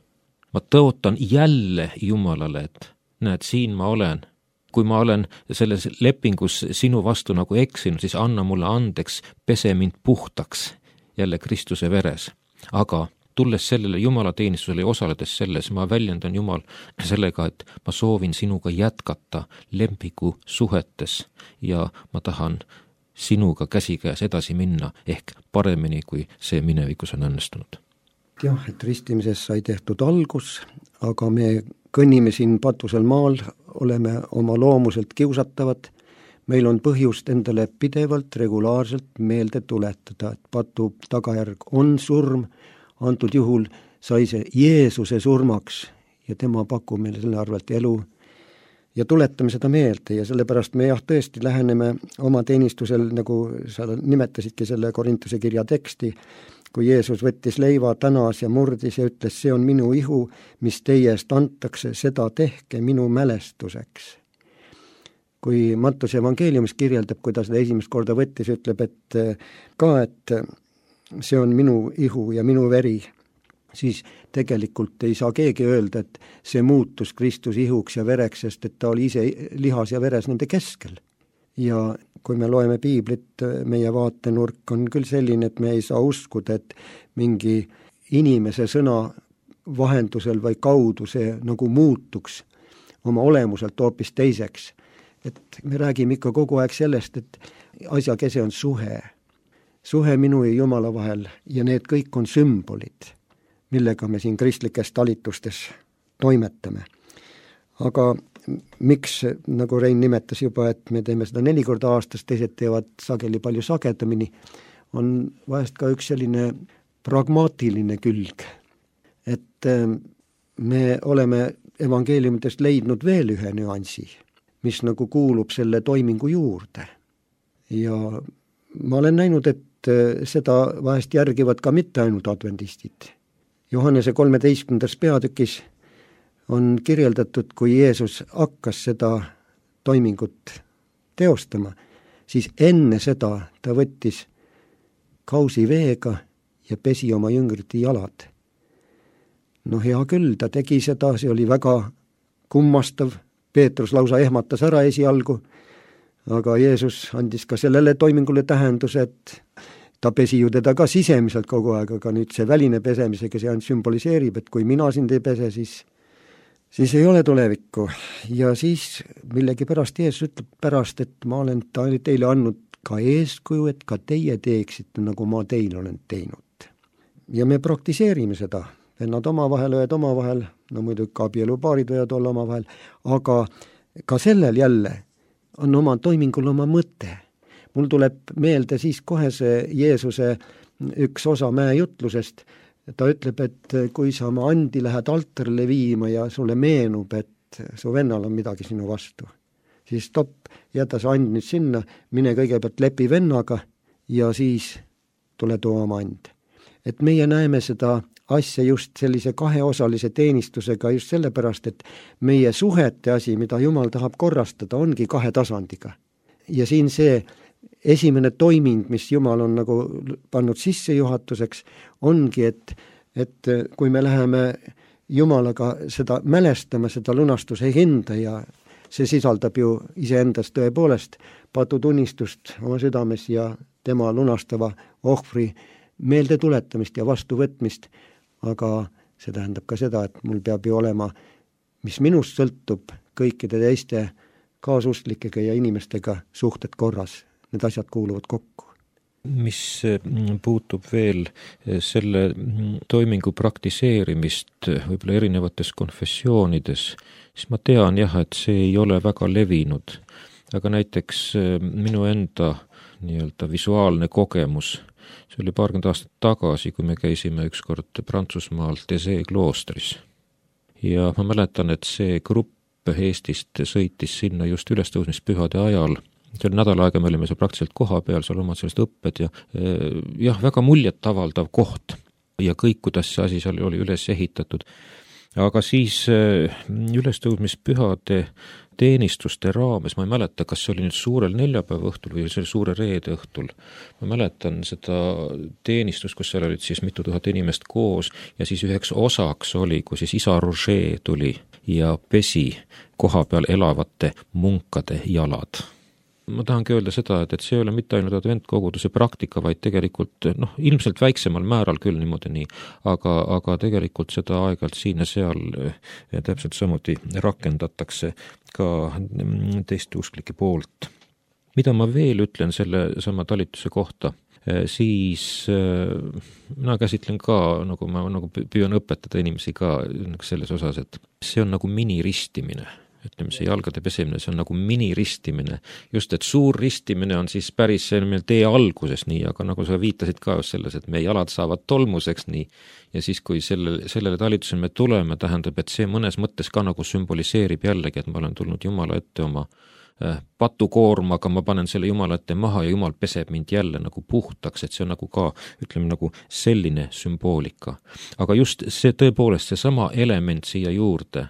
Ma tõotan jälle Jumalale, et näed, siin ma olen. Kui ma olen selles lepingus sinu vastu nagu eksinud, siis anna mulle andeks, pese mind puhtaks jälle Kristuse veres. Aga tulles sellele Jumala teenistusele ja osaledes selles, ma väljendan Jumal sellega, et ma soovin sinuga jätkata lempigu suhetes ja ma tahan sinuga käsikäes edasi minna, ehk paremini, kui see minevikus on õnnestunud. Jah, et ristimises sai tehtud algus, aga me kõnnime siin patusel maal, oleme oma loomuselt kiusatavad, meil on põhjust endale pidevalt, regulaarselt meelde tuletada, et patu tagajärg on surm, antud juhul sai see Jeesuse surmaks ja tema pakub meile selle arvelt elu, ja tuletame seda meelde ja sellepärast me tõesti läheneme oma teenistusel, nagu sa nimetasidki selle Korintuse kirja teksti, kui Jeesus võttis leiva, tänas ja murdis ja ütles, see on minu ihu, mis teie eest antakse, seda tehke minu mälestuseks. Kui Mattuse evangeeliumis kirjeldab, kui ta seda esimest korda võttis, ütleb, et see on minu ihu ja minu veri, siis tegelikult ei saa keegi öelda, et see muutus Kristuse ihuks ja vereks, sest et ta oli ise lihas ja veres nende keskel. Ja kui me loeme piiblit, meie vaatenurk on küll selline, et me ei saa uskuda, et mingi inimese sõna vahendusel või kaudu see nagu muutuks oma olemuselt hoopis teiseks. Et me räägime ikka kogu aeg sellest, et asja kese on suhe. Suhe minu ja Jumala vahel ja need kõik on sümbolid, millega me siin kristlikes talitustes toimetame. Aga miks, nagu Rein nimetas juba, et me teeme seda 4 korda aastas, teised teevad sageli palju sagedamini, on vahest ka üks selline pragmaatiline külg. Et me oleme evangeeliumitest leidnud veel ühe nüansi, mis nagu kuulub selle toimingu juurde. Ja ma olen näinud, et seda vahest järgivad ka mitte ainult adventistid. Johannese 13. peatükis on kirjeldatud, kui Jeesus hakkas seda toimingut teostama, siis enne seda ta võttis kausi veega ja pesi oma jüngrite jalad. No hea küll, ta tegi seda, see oli väga kummastav, Peetrus lausa ehmatas ära esialgu, aga Jeesus andis ka sellele toimingule tähenduse, et ta pesi ju teda ka sisemiselt kogu aeg, aga nüüd see väline pesemisega see ainult sümboliseerib, et kui mina sind ei pese, siis ei ole tulevikku. Ja siis millegipärast Jeesus ütleb pärast, et ma olen teile andnud ka eeskuju, et ka teie teeksite, nagu ma teil olen teinud. Ja me praktiseerime seda. Vennad omavahel, õed omavahel, no muidugi ka abielupaarid võivad olla omavahel, aga ka sellel jälle on oma toimingul oma mõte. Mul tuleb meelde siis kohe see Jeesuse üks osa mäejutlusest. Ta ütleb, et kui sa oma andi lähed altarile viima ja sulle meenub, et su vennal on midagi sinu vastu, siis stopp, jäta see and nüüd sinna, mine kõigepealt lepi vennaga ja siis tule too oma and. Et meie näeme seda asja just sellise kaheosalise teenistusega just sellepärast, et meie suhete asi, mida Jumal tahab korrastada, ongi 2 tasandiga. Ja siin see esimene toiming, mis Jumal on nagu pannud sissejuhatuseks, ongi, et kui me läheme Jumalaga seda mälestama, seda lunastuse hinda ja see sisaldab ju iseendas tõepoolest patutunnistust oma südames ja tema lunastava ohvri meelde tuletamist ja vastuvõtmist, aga see tähendab ka seda, et mul peab ju olema, mis minust sõltub, kõikide teiste kaasustlikega ja inimestega suhted korras. Need asjad kuuluvad kokku. Mis puutub veel selle toimingu praktiseerimist võib-olla erinevates konfessioonides, siis ma tean jah, et see ei ole väga levinud. Aga näiteks minu enda nii-öelda visuaalne kogemus, see oli 20 aastat tagasi, kui me käisime ükskord Prantsusmaal Thésée kloostris. Ja ma mäletan, et see grupp Eestist sõitis sinna just ülestõusmispühade ajal. See oli nädal aega, me olime seal praktiliselt koha peal, seal omad sellest õpped ja väga muljet avaldav koht. Ja kõik, kuidas see asi seal oli üles ehitatud. Aga siis ülestõusmispühade teenistuste raames, ma ei mäleta, kas see oli nüüd suurel neljapäeva õhtul või see oli suure reede õhtul. Ma mäletan seda teenistust, kus seal olid siis mitu tuhat inimest koos ja siis üheks osaks oli, kui siis isa Roger tuli ja pesi koha peal elavate munkade jalad. Ma tahangi öelda seda, et see ei ole mitte ainult adventkoguduse praktika, vaid tegelikult ilmselt väiksemal määral küll niimoodi nii, aga tegelikult seda aeg-ajalt siin ja seal täpselt samuti rakendatakse ka teiste usklike poolt. Mida ma veel ütlen selle sama talituse kohta, siis mina käsitlen ka, nagu ma püüan õpetada inimesi ka selles osas, et see on nagu miniristimine. Ütleme, see jalgade pesemine, see on nagu miniristimine. Just, et suur ristimine on siis päris meil tee alguses nii, aga nagu sa viitasid ka just selles, et meie jalad saavad tolmuseks nii. Ja siis, kui sellele talitusele me tuleme, tähendab, et see mõnes mõttes ka nagu sümboliseerib jällegi, et ma olen tulnud Jumala ette oma patukoormaga ma panen selle Jumala ette maha ja Jumal peseb mind jälle nagu puhtaks, et see on nagu ka, ütleme nagu selline sümboolika. Aga just see tõepoolest see sama element siia juurde,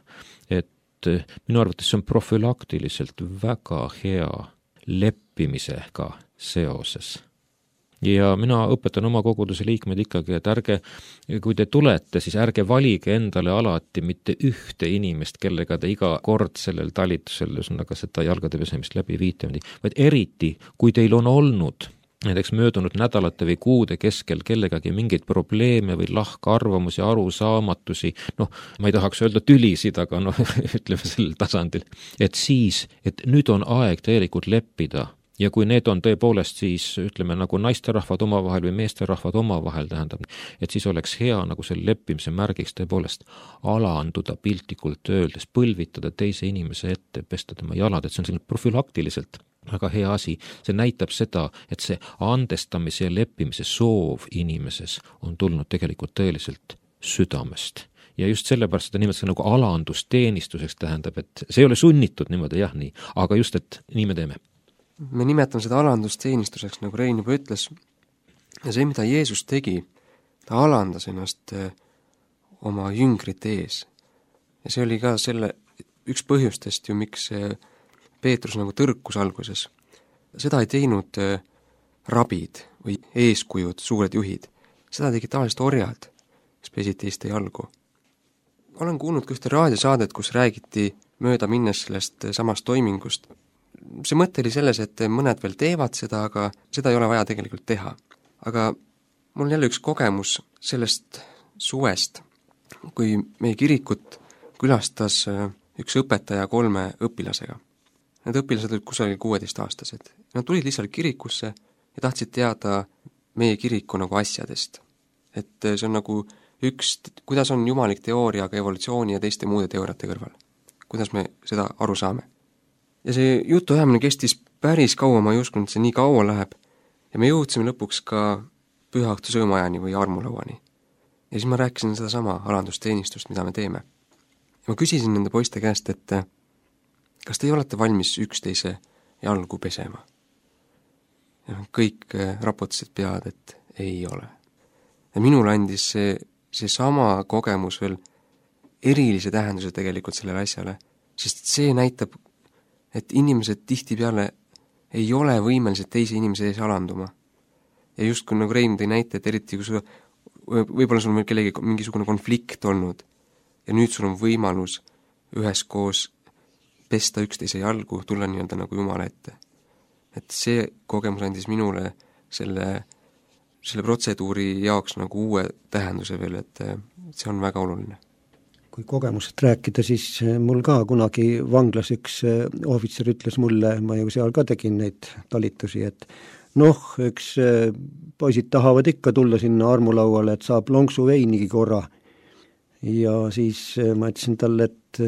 et minu arvates see on profülaktiliselt väga hea leppimisega seoses. Ja mina õpetan oma koguduse liikmed ikkagi, et ärge, kui te tulete, siis ärge valige endale alati mitte ühte inimest, kellega te iga kord sellel talitusel, ühesõnaga seda jalgade pesemist läbi viite, vaid eriti, kui teil on olnud näiteks möödunud nädalate või kuude keskel kellegagi mingeid probleeme või lahkarvamusi, arusaamatusi, ma ei tahaks öelda tülisid, aga ütleme sellel tasandil, et siis, et nüüd on aeg tegelikult leppida. Ja kui need on tõepoolest siis, ütleme, nagu naisterahvad omavahel või meesterahvad omavahel, tähendab, et siis oleks hea nagu selle leppimise märgiks tõepoolest alanduda piltlikult öeldes, põlvitada teise inimese ette, pesta tema jalad, et see on selline profülaktiliselt väga hea asi. See näitab seda, et see andestamise ja leppimise soov inimeses on tulnud tegelikult tõeliselt südamest. Ja just sellepärast seda nimelt nagu alandusteenistuseks tähendab, et see ei ole sunnitud niimoodi, jah, nii, aga just, et nii me teeme. Me nimetame seda alandusteenistuseks, nagu Rein juba ütles, ja see, mida Jeesus tegi, ta alandas ennast oma jüngrite ees. Ja see oli ka selle üks põhjustest ju, miks Peetrus nagu tõrkus alguses. Seda ei teinud rabid või eeskujud, suured juhid. Seda tegi tavaliselt orjad, kes pesid teiste jalgu. Olen kuulnud ka ühte raadiosaadet, kus räägiti mööda minnes sellest samast toimingust. See mõte oli selles, et mõned veel teevad seda, aga seda ei ole vaja tegelikult teha. Aga mul on jälle üks kogemus sellest suvest, kui meie kirikut külastas üks õpetaja 3 õpilasega. Need õpilased olid kusagil 16-aastased. Nad tulid lihtsalt kirikusse ja tahtsid teada meie kiriku nagu asjadest. Et see on nagu kuidas on jumalik teooria, aga evolutsiooni ja teiste muude teooriate kõrval. Kuidas me seda aru saame. Ja see jutuajamine kestis päris kaua, ma ei uskunud, et see nii kaua läheb. Ja me jõudsime lõpuks ka pühaõhtu söömajani või armulauani. Ja siis ma rääkisin seda sama alandusteenistust, mida me teeme. Ja ma küsisin nende poiste käest, et kas te olete valmis üksteise jalgu pesema? Ja kõik rapotasid pead, et ei ole. Ja minul andis see sama kogemus veel erilise tähenduse tegelikult sellele asjale, sest see näitab, et inimesed tihtipeale ei ole võimelised teise inimese ees alanduma. Ja just kui nagu Rein tõi näite, et eriti kui võib-olla sul on veel kellegi mingisugune konflikt olnud ja nüüd sul on võimalus üheskoos pesta üksteise jalgu, tulla nii-öelda nagu Jumala ette. Et see kogemus andis minule selle protseduuri jaoks nagu uue tähenduse veel, et see on väga oluline. Kui kogemusest rääkida, siis mul ka kunagi vanglas üks ohvitser ütles mulle, ma ju seal ka tegin neid talitusi, et üks poisid tahavad ikka tulla sinna armulauale, et saab lonksu veinigi korra. Ja siis ma ütlesin talle, et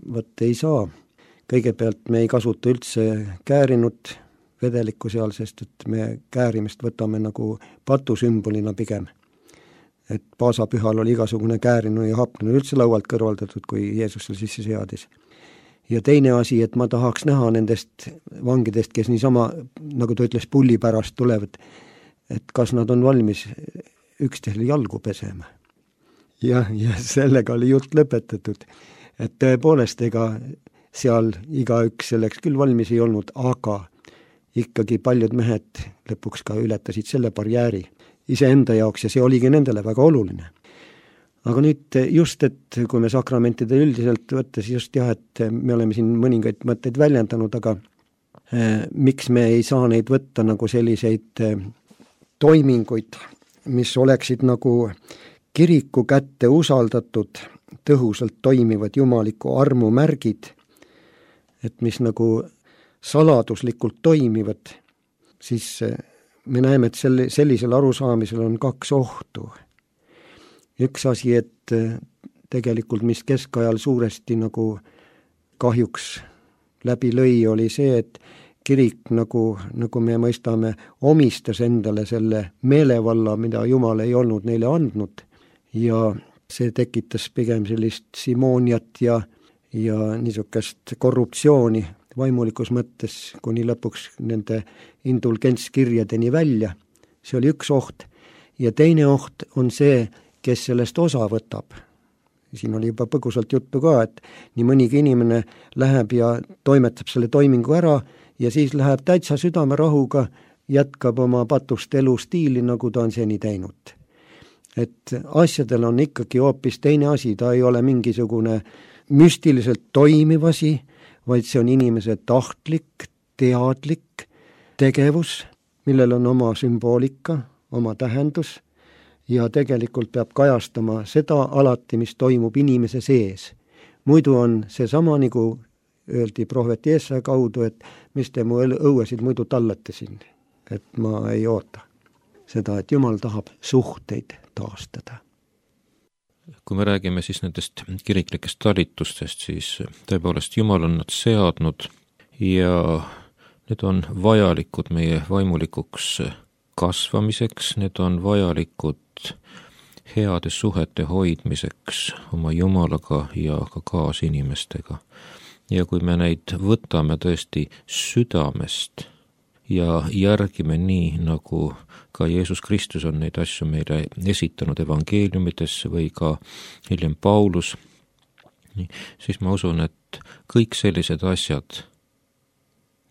võt ei saa. Kõigepealt me ei kasuta üldse käärinud vedelikku seal, sest et me käärimist võtame nagu patusümbolina pigem. Et paasapühal oli igasugune käärinu ja hapnu üldse laualt kõrvaldatud, kui Jeesus seal sisse seadis. Ja teine asi, et ma tahaks näha nendest vangidest, kes niisama, nagu ta ütles, pulli pärast tulevad, et kas nad on valmis üksteisele jalgu pesema. Ja sellega oli jutt lõpetatud. Et tõepoolest, ega seal igaüks selleks küll valmis ei olnud, aga ikkagi paljud mehed lõpuks ka ületasid selle barjääri iseenda jaoks ja see oligi nendele väga oluline. Aga nüüd just, et kui me sakramentide üldiselt võttes just et me oleme siin mõningaid mõtteid väljendanud, aga miks me ei saa neid võtta nagu selliseid toiminguid, mis oleksid nagu kiriku kätte usaldatud, tõhusalt toimivad jumaliku armu märgid, et mis nagu saladuslikult toimivad, siis me näeme, et sellisel arusaamisel on 2 ohtu. Üks asi, et tegelikult mis keskajal suuresti nagu kahjuks läbi lõi, oli see, et kirik nagu me mõistame, omistas endale selle meelevalla, mida Jumal ei olnud neile andnud ja see tekitas pigem sellist simooniat ja niisugust korruptsiooni vaimulikus mõttes kuni lõpuks nende indulgentskirjadeni välja, see oli üks oht. Ja teine oht on see, kes sellest osa võtab. Siin oli juba põgusalt juttu ka, et nii mõnigi inimene läheb ja toimetab selle toimingu ära ja siis läheb täitsa südamerahuga, jätkab oma patust elustiili, nagu ta on seni teinud. Et asjadel on ikkagi hoopis teine asi, ta ei ole mingisugune müstiliselt toimiv asi, vaid see on inimese tahtlik, teadlik tegevus, millel on oma sümboolika, oma tähendus ja tegelikult peab kajastama seda alati, mis toimub inimese sees. Muidu on see sama, nagu öeldi prohvet Jeesaja kaudu, et mis te mu õuesid muidu tallate siin, et ma ei oota seda, et Jumal tahab suhteid taastada. Kui me räägime siis nendest kiriklikest talitustest, siis tõepoolest Jumal on nad seadnud ja need on vajalikud meie vaimulikuks kasvamiseks, need on vajalikud heade suhete hoidmiseks oma Jumalaga ja ka kaasinimestega. Ja kui me neid võtame tõesti südamest ja järgime nii, nagu ka Jeesus Kristus on neid asju meile esitanud evangeeliumides või ka hiljem Paulus, siis ma usun, et kõik sellised asjad,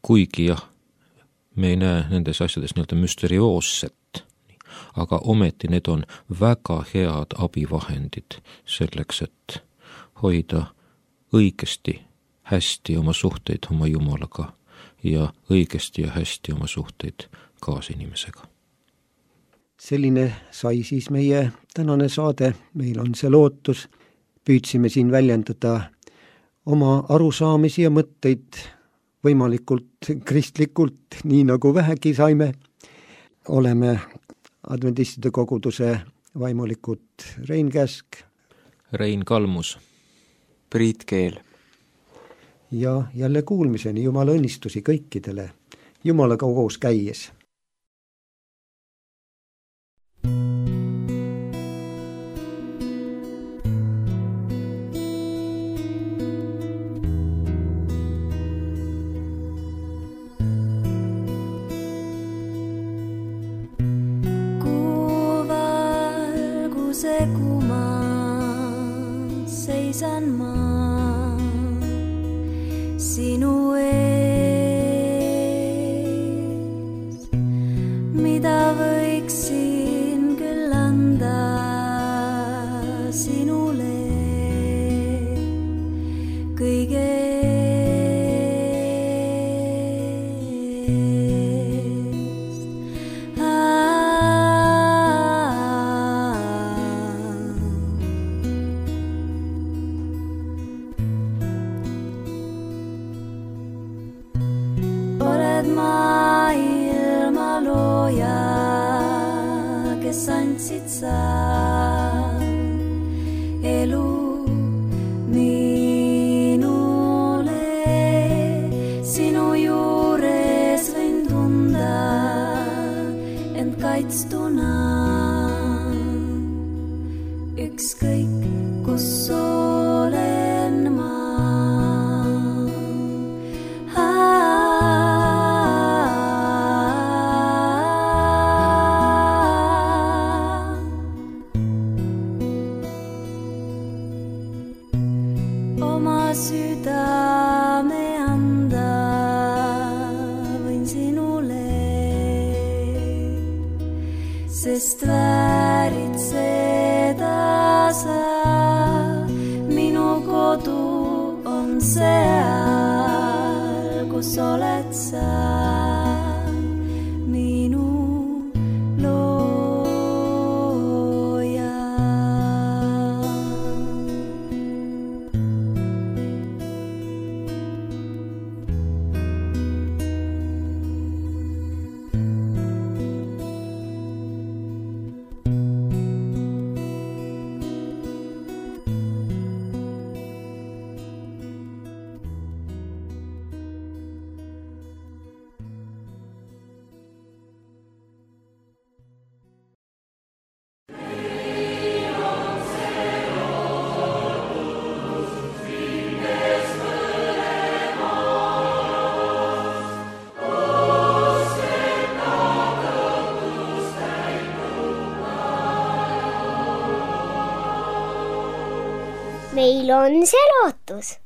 kuigi jah, me ei näe nendes asjades nii-öelda müsterioosset, aga ometi need on väga head abivahendid selleks, et hoida õigesti hästi oma suhteid oma Jumalaga ja õigesti ja hästi oma suhteid kaasinimesega. Selline sai siis meie tänane saade, meil on see lootus, püüdsime siin väljendada oma arusaamisi ja mõtteid võimalikult kristlikult, nii nagu vähegi saime. Oleme adventistide koguduse vaimulikud Rein Käsk, Rein Kalmus, Priit Keel. Ja jälle kuulmiseni, Jumala õnnistusi kõikidele, Jumalaga koos käies. Seisan ma sinu ees, mida võiksin küll anda sinule kõige andsid sa elu minule, sinu juures võin tunda end kaitstuna, ükskõik kus olen ma. Südame anda võin sinule, sest väärid seda sa, minu kodu on seal, kus oled sa. meil on see lootus.